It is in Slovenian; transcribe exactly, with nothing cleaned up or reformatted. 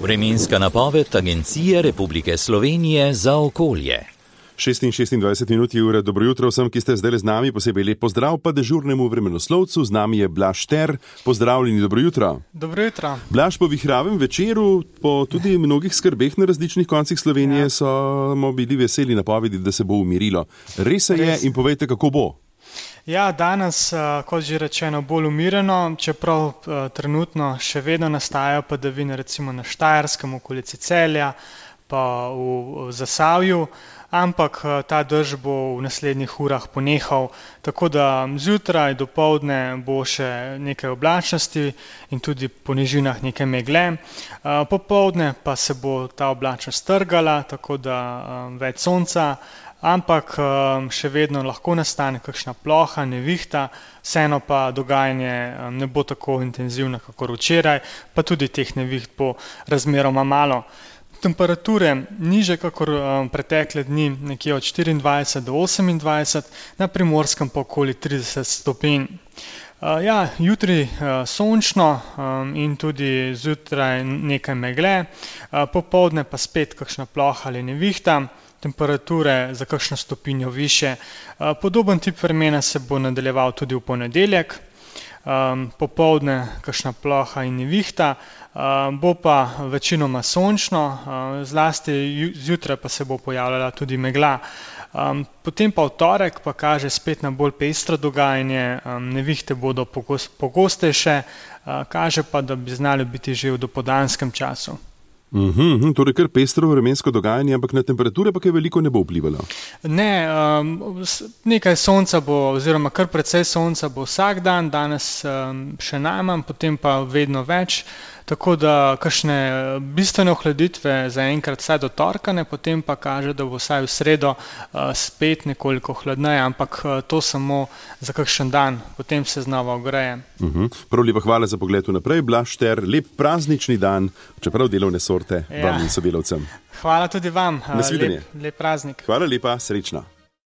Vremenska napoved Agencije Republike Slovenije za okolje. šest in šestindvajset minut je ura. Dobro jutro vsem, ki ste zdaj z nami. Posebej lep pozdrav pa dežurnemu vremenoslovcu. Z nami je Blaž Šter. Pozdravljeni, dobro jutro. Dobro jutro. Blaž, po vihravem večeru, po tudi mnogih skrbeh na različnih koncih Slovenije, ja. smo bili veseli napovedi, da se bo umirilo. Res se je in povejte, kako bo. Ja, danes, kot že rečeno, bolj umireno, čeprav trenutno še vedno nastajajo padavine, recimo na Štajerskem, v okolici Celja, pa v Zasavju, ampak ta dež bo v naslednjih urah ponehal, tako da zjutraj, dopoldne bo še nekaj oblačnosti in tudi po nižinah nekaj megle. Popoldne pa se bo ta oblačnost strgala, tako da več sonca, ampak še vedno lahko nastane kakšna ploha, nevihta, vseeno pa dogajanje ne bo tako intenzivno kakor včeraj, pa tudi teh neviht bo razmeroma malo. Temperature niže kakor pretekle dni, nekje od štiriindvajset do osemindvajset, na Primorskem pa okoli trideset stopinj. Ja, jutri sončno in tudi zjutraj nekaj megle, popoldne pa spet kakšna ploha ali nevihta, temperature za kakšno stopinjo više. Podoben tip vremena se bo nadaljeval tudi v ponedeljek, popoldne kakšna ploha in nevihta, bo pa večinoma sončno, zlasti zjutraj pa se bo pojavljala tudi megla. Potem pa v torek pa kaže spet na bolj pestro dogajanje, nevihte bodo pogostejše, kaže pa, da bi znali biti že v dopoldanskem času. Uhum, torej kar pestro vremensko dogajanje, ampak na temperature pa kaj veliko ne bo vplivalo. Ne, um, nekaj sonca bo, oziroma kar precej sonca bo vsak dan, danes um, še najmanj, potem pa vedno več, tako da kakšne bistvene ohladitve zaenkrat vsaj do torka ne, potem pa kaže, da bo vsaj v sredo uh, spet nekoliko hladneje, ampak uh, to samo za kakšen dan, potem se znova ogreje. Uhum. Prav lepa hvala za pogled vnaprej, Blaž Šter, lep praznični dan, čeprav delovne sorte. Ja. Vam in sodelavcem. Hvala tudi vam. Nasvidenje. Lep, lep praznik. Hvala lepa, srečno.